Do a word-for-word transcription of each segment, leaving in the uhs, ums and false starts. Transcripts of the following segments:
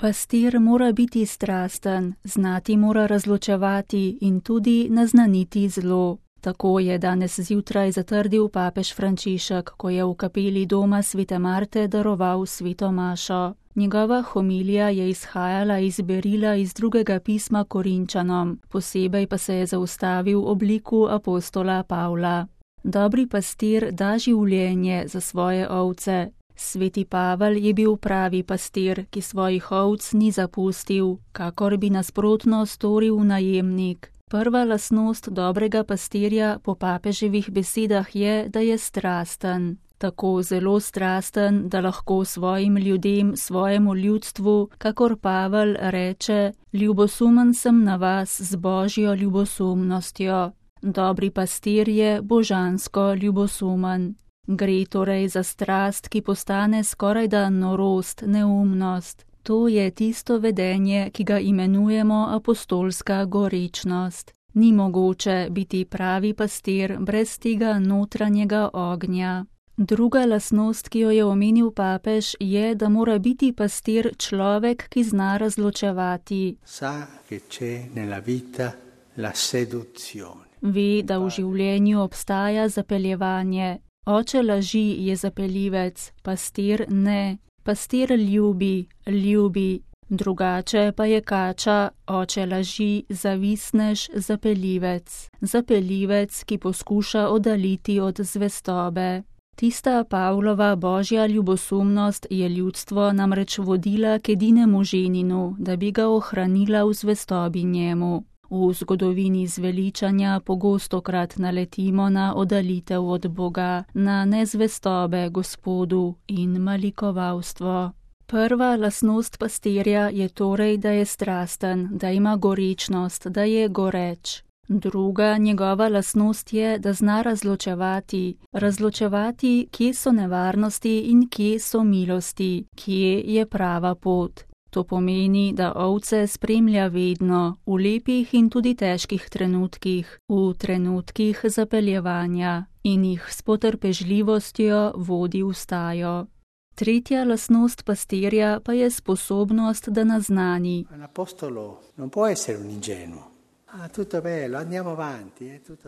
Pastir mora biti strasten, znati mora razločevati in tudi naznaniti zlo. Tako je danes zjutraj zatrdil papež Frančišek, ko je v kapeli doma svete Marte daroval sveto mašo. Njegova homilija je izhajala iz berila iz drugega pisma Korinčanom, posebej pa se je zaustavil ob liku apostola Pavla. Dobri pastir da življenje za svoje ovce. Sveti Pavel je bil pravi pastir, ki svojih ovc ni zapustil, kakor bi nasprotno storil najemnik. Prva lastnost dobrega pastirja po papeževih besedah je, da je strasten. Tako zelo strasten, da lahko svojim ljudem, svojemu ljudstvu, kakor Pavel reče, ljubosumen sem na vas z božjo ljubosumnostjo. Dobri pastir je božansko ljubosumen. Gre torej za strast, ki postane skorajda norost, neumnost. To je tisto vedenje, ki ga imenujemo apostolska gorečnost. Ni mogoče biti pravi pastir brez tega notranjega ognja. Druga lastnost, ki jo je omenil papež, je, da mora biti pastir človek, ki zna razločevati. Sa che c'è nella vita la seduzione. Ve, da v življenju obstaja zapeljevanje. Oče laži je zapeljivec, pastir ne. Pastir ljubi, ljubi. Drugače pa je kača, oče laži, zavisnež, zapeljivec. Zapeljivec, ki poskuša oddaliti od zvestobe. Tista Pavlova božja ljubosumnost je ljudstvo namreč vodila k edinemu ženinu, da bi ga ohranila v zvestobi njemu. V zgodovini zveličanja pogostokrat naletimo na oddalitev od Boga, na nezvestobe Gospodu in malikovalstvo. Prva lastnost pastirja je torej, da je strasten, da ima gorečnost, da je goreč. Druga njegova lastnost je, da zna razločevati, razločevati, kje so nevarnosti in kje so milosti, kje je prava pot. To pomeni, da ovce spremlja vedno, v lepih in tudi težkih trenutkih, v trenutkih zapeljevanja in jih s potrpežljivostjo vodi v stajo. Tretja lastnost pastirja pa je sposobnost, da naznani.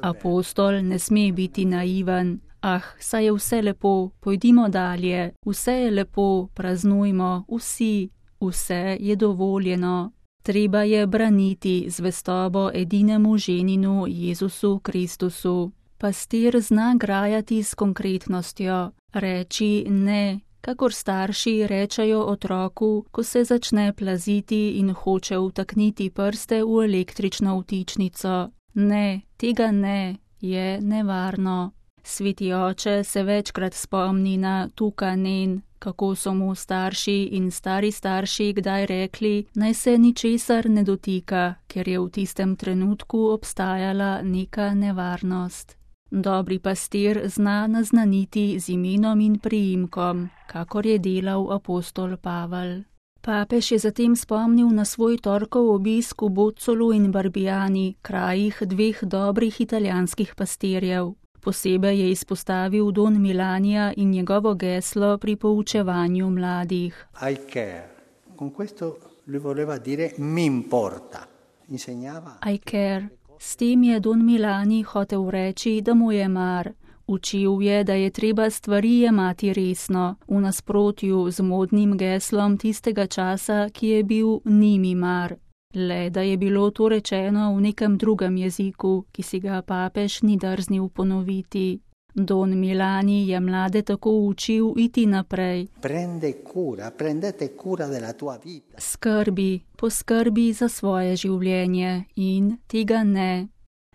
Apostol ne sme biti naiven. Ah, saj je vse lepo, pojdimo dalje, vse je lepo, praznujmo, vsi. Vse je dovoljeno. Treba je braniti zvestobo edinemu ženinu Jezusu Kristusu. Pastir zna grajati s konkretnostjo, reči ne, kakor starši rečejo otroku, ko se začne plaziti in hoče vtakniti prste v električno vtičnico. Ne, tega ne, je nevarno. Sveti oče se večkrat spomni na tukanen, kako so mu starši in stari starši kdaj rekli, naj se ničesar ne dotika, ker je v tistem trenutku obstajala neka nevarnost. Dobri pastir zna naznaniti z imenom in priimkom, kakor je delal apostol Pavel. Papež je zatem spomnil na svoj torkov obisk v Bozzolu in Barbiani, krajih dveh dobrih italijanskih pastirjev. Posebej je izpostavil Don Milanija in njegovo geslo pri poučevanju mladih. I care. Con questo lui voleva dire mi importa. Insegnava. I care. S tem je Don Milani hotel reči, da mu je mar. Učil je, da je treba stvari jemati resno, v nasprotju z modnim geslom tistega časa, ki je bil nimi mar. Le, da je bilo to rečeno v nekem drugem jeziku, ki si ga papež ni drznil ponoviti. Don Milani je mlade tako učil iti naprej. Prende cura, prendete cura della tua vita. Skrbi, poskrbi za svoje življenje in tega ne.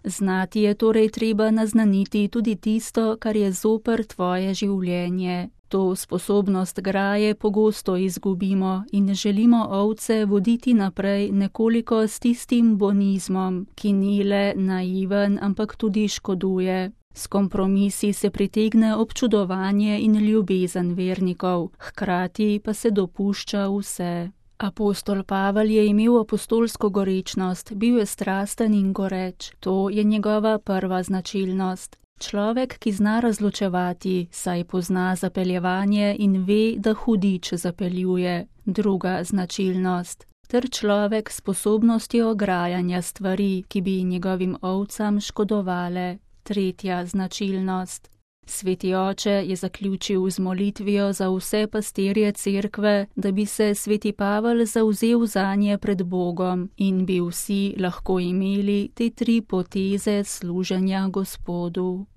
Znati je torej treba naznaniti tudi tisto, kar je zoper tvoje življenje. To sposobnost graje pogosto izgubimo in želimo ovce voditi naprej nekoliko s tistim bonizmom, ki ni le naiven, ampak tudi škoduje. S kompromisi se pritegne občudovanje in ljubezen vernikov, hkrati pa se dopušča vse. Apostol Pavel je imel apostolsko gorečnost, bil je strasten in goreč. To je njegova prva značilnost. Človek, ki zna razločevati, saj pozna zapeljevanje in ve, da hudič zapeljuje, druga značilnost, ter človek s sposobnostjo grajanja stvari, ki bi njegovim ovcam škodovale, tretja značilnost. Sveti oče je zaključil z molitvijo za vse pastirje cerkve, da bi se sveti Pavel zavzel zanje pred Bogom in bi vsi lahko imeli te tri poteze služenja Gospodu.